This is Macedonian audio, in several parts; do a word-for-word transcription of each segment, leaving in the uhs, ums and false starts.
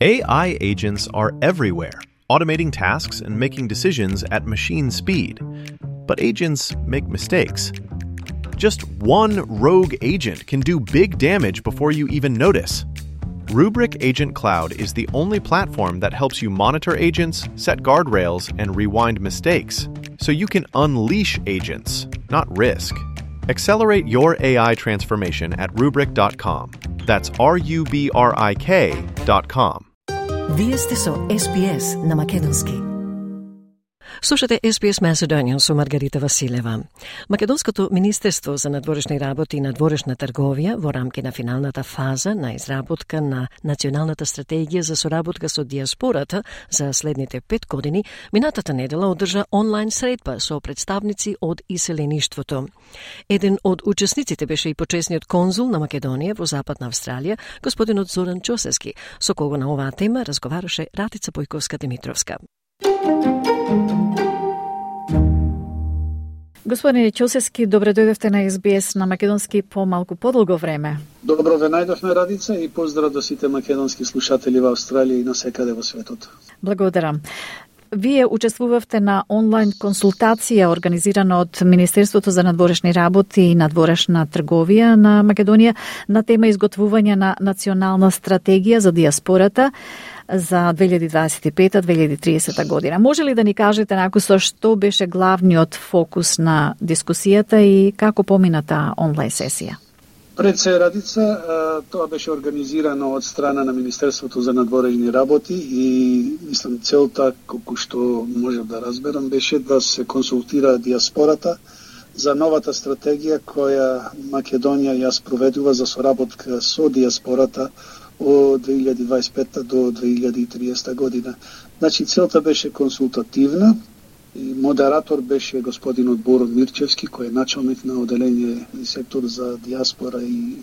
A I agents are everywhere, automating tasks and making decisions at machine speed. But agents make mistakes. Just one rogue agent can do big damage before you even notice. Rubrik Agent Cloud is the only platform that helps you monitor agents, set guardrails, and rewind mistakes, so you can unleash agents, not risk. Accelerate your A I transformation at rubrik dot com. That's R U B R I K dot com. Вие сте со Ес Би Ес на Македонски. Слушате Ес Би Ес Macedonian со Маргарита Василева. Македонското Министерство за надворешни работи и надворешна трговија во рамки на финалната фаза на изработка на Националната стратегија за соработка со диаспората за следните пет години, минатата недела одржа онлайн средба со представници од иселеништвото. Еден од учесниците беше и почесниот конзул на Македонија во Западна Австралија, господинот Зоран Ќосевски, со кого на оваа тема разговараше Ратица Појковска-Димитровска. Господине Ќосевски, добре дојдовте на Ес Би Ес на Македонски по малку подолго време. Добро ве најдовме, Радица, и поздрав до сите македонски слушатели во Австралија и насекаде во светот. Благодарам. Вие учествувавте на онлайн консултација организирана од Министерството за надворешни работи и надворешна трговија на Македонија на тема изготвување на национална стратегија за диаспората за две илјади дваесет и пета - две илјади и тридесета година. Може ли да ни кажете накусо што беше главниот фокус на дискусијата и како помина таа онлайн сесија? Пред се, Радица, тоа беше организирано од страна на Министерството за надворешни работи и мислам целта, колку што можев да разберам, беше да се консултира диаспората за новата стратегија која Македонија ја спроведува за соработка со диаспората од две илјади дваесет и пета до две илјади и тридесета година. Значи, целта беше консултативна и модератор беше господинот Боро Мирчевски, кој е началник на оделение и сектор за диаспора и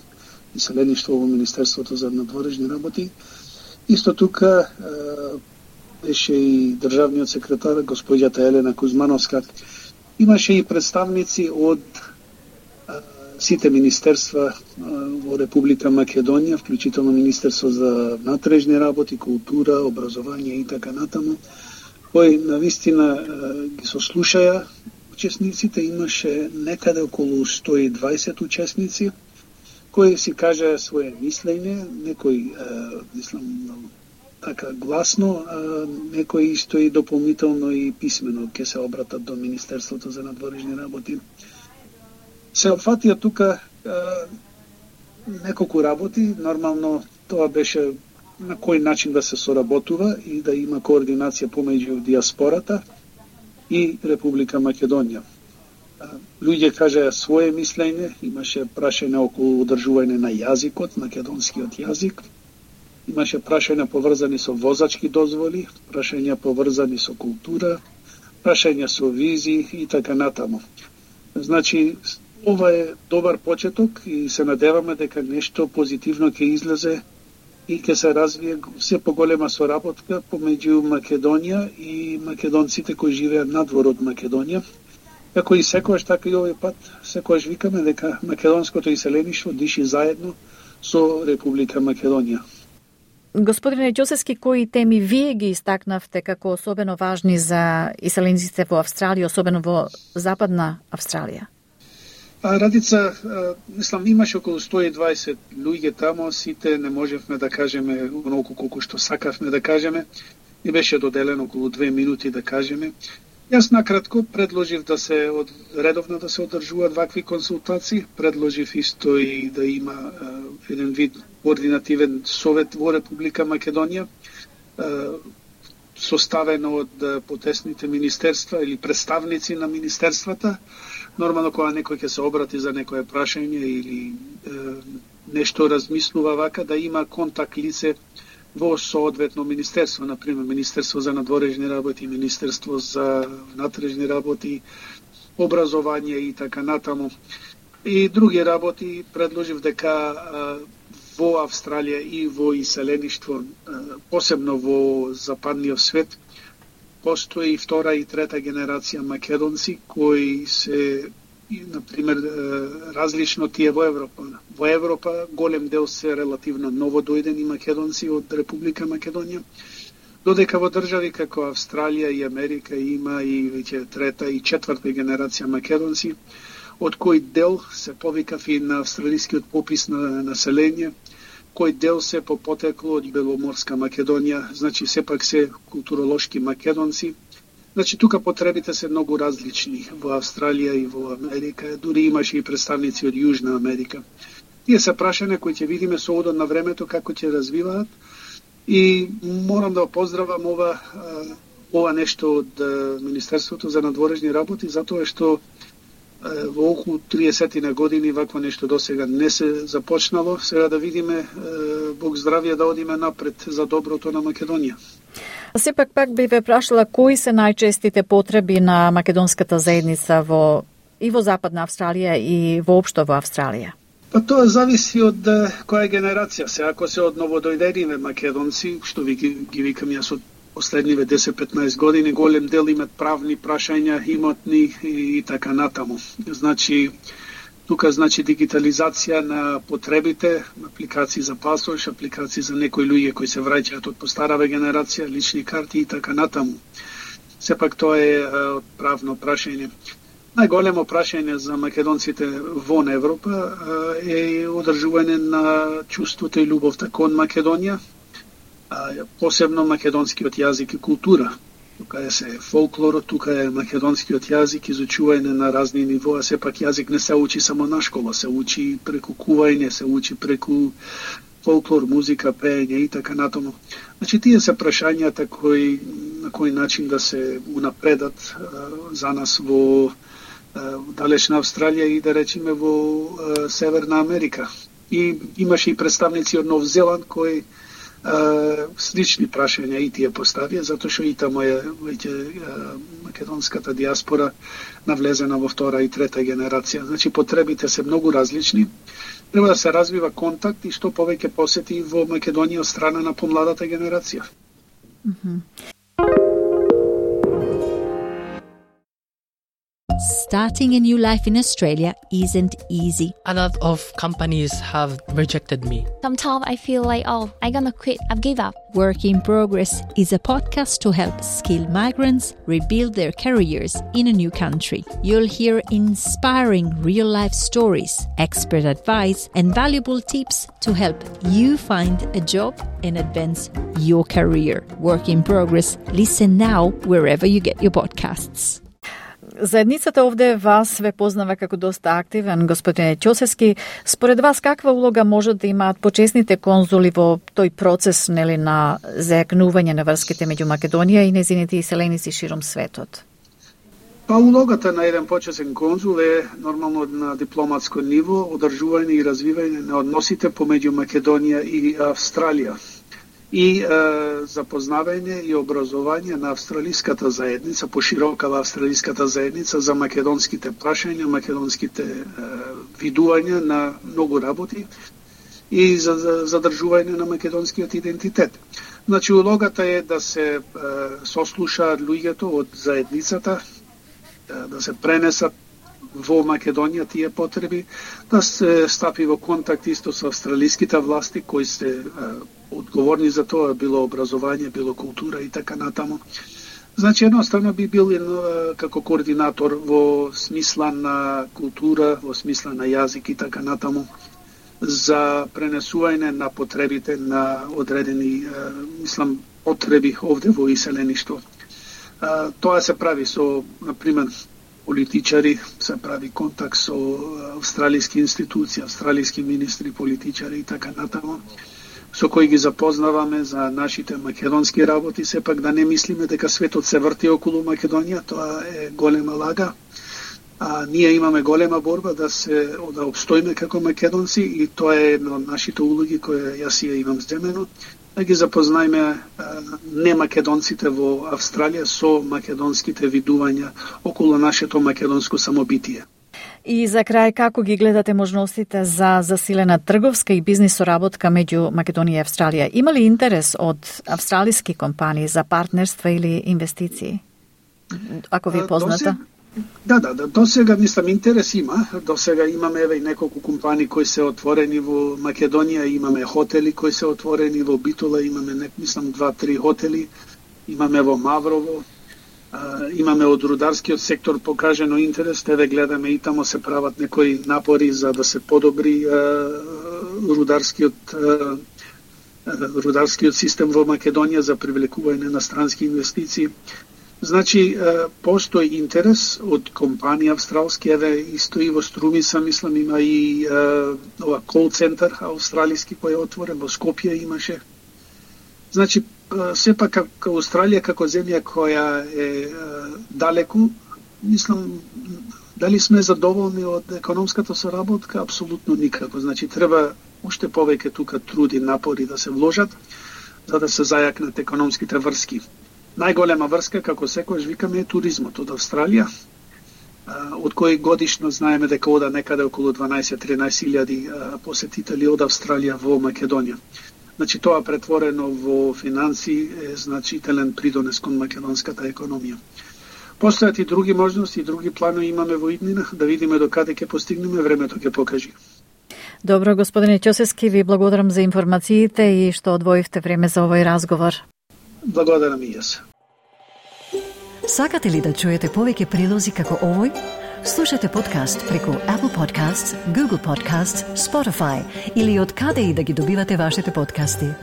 иселеништво во Министерството за надворешни работи. Исто тука беше и државниот секретар, господјата Елена Кузмановска. Имаше и представници од сите министерства во Република Македонија, вклучително Министерство за внатрешни работи, култура, образование и така натаму, кои навистина ги сослушаја учесниците. Имаше некаде околу сто и дваесет учесници кои си кажаа своje мислење, некои мислам така гласно, а некои исто и дополнително и писмено ќе се обратат до Министерството за надворешни работи. Се опфатија тука е, неколку работи. Нормално тоа беше на кој начин да се соработува и да има координација помеѓу диаспората и Република Македонија. Луѓе кажаа своje мислење, имаше прашање околу одржување на јазикот, македонскиот јазик, имаше прашања поврзани со возачки дозволи, прашања поврзани со култура, прашања со визи и така натаму. Значи, ова е добар почеток и се надеваме дека нешто позитивно ќе излезе и ќе се развие се поголема соработка помеѓу Македонија и македонците кои живеат надвор од Македонија. Како и секојаш, така и овој пат, секојаш викаме дека македонското иселеништво диши заедно со Република Македонија. Господине Ќосевски, кои теми вие ги истакнавте како особено важни за иселениците во Австралија, особено во Западна Австралија? А, Радица, мислам, имаше околу сто и дваесет луѓе тамо, сите не можевме да кажеме онолку колку што сакавме да кажеме, и беше доделено околу две минути да кажеме. Јас накратко предложив да се од, редовно да се одржуваат вакви консултации, предложив исто и да има е, еден вид координативен совет во Република Македонија, е, составен од потесните министерства или представници на министерствата. Нормално кога некој ќе се обрати за некое прашање или е, нешто размислува вака, да има контакт лице во соодветно министерство, например Министерство за надворешни работи, Министерство за внатрешни работи, образование и така натаму. И други работи предложив дека во Австралија и во иселеништво, посебно во западниот свет, постои втора и трета генерација македонци кои се и, например, различно тие во Европа. Во Европа голем дел се релативно ново дојдени македонци од Република Македонија, додека во држави како Австралија и Америка има и веќе трета и четврта генерација македонци, од кој дел се повикав и на австралискиот попис на население, кој дел се по потекло од Беломорска Македонија, значи сепак се културолошки македонци. Значи тука потребите се многу различни во Австралија и во Америка, дури имаше и представници од Јужна Америка. Тие се прашања кои ќе видиме со одот на времето како ќе развиваат и морам да поздравам ова ова нешто од Министерството за надворешни работи, затоа што во околу триесет на години вакво нешто досега не се започнало. Сега да видиме, Бог здравје, да одиме напред за доброто на Македонија. Сепак пак би ве прашала кои се најчестите потреби на македонската заедница во и во Западна Австралија и воопшто во Австралија? Па тоа зависи од која генерација се. Ако се од новодојдените македонци, што ви ги, ги викам јас од последниве десет-петнаесет години, голем дел имат правни прашања, имотни и, и така натаму. Значи, тука значи дигитализација на потребите, апликации за пасош, апликации за некои луѓе кои се враќаат од постарава генерација, лични карти и така натаму. Сепак тоа е од правно прашање. Најголемо прашање за македонците вон Европа е одржување на чувството и љубовта кон Македонија, посебно македонскиот јазик и култура. Тука е се фолклорот, тука е македонскиот јазик, изучување на разни нивоа, сепак јазик не се учи само на школа, се учи преку кување, се учи преку фолклор, музика, пеење и така натаму. Значи тие се прашањата кои на кој начин да се унапредат за нас во далечна Австралија и да речеме во Северна Америка. И имаше и представници од Нов Зеланд кои слични прашања и тие поставија, затоа што и тамо е веќе македонската диаспора навлезена во втора и трета генерација. Значи потребите се многу различни. Треба да се развива контакт и што повеќе посети во Македонија од страна на помладата генерација. Mm-hmm. Starting a new life in Australia isn't easy. A lot of companies have rejected me. Sometimes I feel like, oh, I'm gonna quit, I've give up. Work in Progress is a podcast to help skilled migrants rebuild their careers in a new country. You'll hear inspiring real-life stories, expert advice, and valuable tips to help you find a job and advance your career. Work in Progress. Listen now wherever you get your podcasts. Заедницата овде вас ве познава како доста активен, господине Ќосевски. Според вас, каква улога можат да имаат почесните конзули во тој процес, нели, на зајакнување на врските меѓу Македонија и незините иселеници широм светот? Па улогата на еден почесен конзул е нормално на дипломатско ниво, одржување и развивање на односите помеѓу Македонија и Австралија. И е, запознавање и образование на австралиската заедница, поширокава австралиската заедница за македонските прашања, македонските е, видувања на многу работи и за, за задржување на македонскиот идентитет. Значи, улогата е да се е, сослушаат луѓето од заедницата, е, да се пренесат во Македонија тие потреби, да се стапи во контакт исто со австралиските власти кои се е, одговорни за тоа, било образование, било култура и така натаму. Значи, едноставно би бил едно, како координатор во смисла на култура, во смисла на јазик и така натаму, за пренесување на потребите на одредени, мислам, потреби овде во иселеништво. Тоа се прави со, например, политичари, се прави контакт со австралиски институции, австралиски министри, политичари и така натаму, со кои ги запознаваме за нашите македонски работи. Сепак да не мислиме дека светот се врти околу Македонија, тоа е голема лага. А ние имаме голема борба да се да обстоиме како македонци и тоа е една од нашите улоги која јас ја имам земено, да ги запознаеме не македонците во Австралија со македонските видувања околу нашето македонско самобитие. И за крај, како ги гледате можностите за засилена трговска и бизнис соработка меѓу Македонија и Австралија? Има ли интерес од австралиски компании за партнерства или инвестиции? Ако ви е позната? Да, да, да, до сега мислам интерес има. До сега имаме еве и неколку компании кои се отворени во Македонија, имаме хотели кои се отворени во Битола, имаме мислам два-три хотели, имаме во Маврово, а, имаме од рударскиот сектор покажено интерес, еве гледаме и тамо се прават некои напори за да се подобри а, рударскиот а, рударскиот систем во Македонија за привлекување на странски инвестиции. Значи, постои интерес од компанија австралски, еве исто и во Струмиса, мислам, има и ова кол центар австралиски кој е отворен, во Скопје имаше. Значи, сепак како Австралија, како земја која е далеку, мислам, дали сме задоволни од економската соработка? Апсолутно никако. Значи, треба уште повеќе тука труди, напори да се вложат, за да се зајакнат економските врски. Најголема врска, како секојаш викаме, е туризмот од Австралија, од кој годишно знаеме дека ода некаде околу дванаесет-тринаесет илјади посетители од Австралија во Македонија. Значи, тоа претворено во финанси е значителен придонес кон македонската економија. Постојат и други можности, и други планови имаме во иднина, да видиме до каде ќе постигнеме, времето ќе покажи. Добро, господине Ќосевски, ви благодарам за информациите и што одвоивте време за овој разговор. Благодарам и јас. Сакате ли да чуете повеќе прилози како овој? Слушате подкаст преку Apple Podcasts, Google Podcasts, Spotify или од каде и да ги добивате вашите подкасти.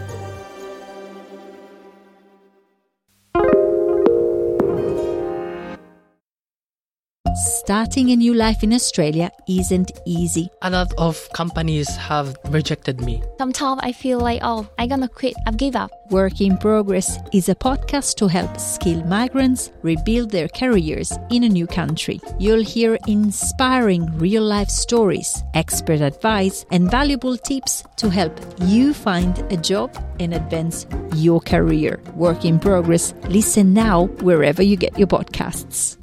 Starting a new life in Australia isn't easy. A lot of companies have rejected me. Sometimes I feel like, oh, I'm gonna quit. I've give up. Work in Progress is a podcast to help skilled migrants rebuild their careers in a new country. You'll hear inspiring real-life stories, expert advice, and valuable tips to help you find a job and advance your career. Work in Progress. Listen now wherever you get your podcasts.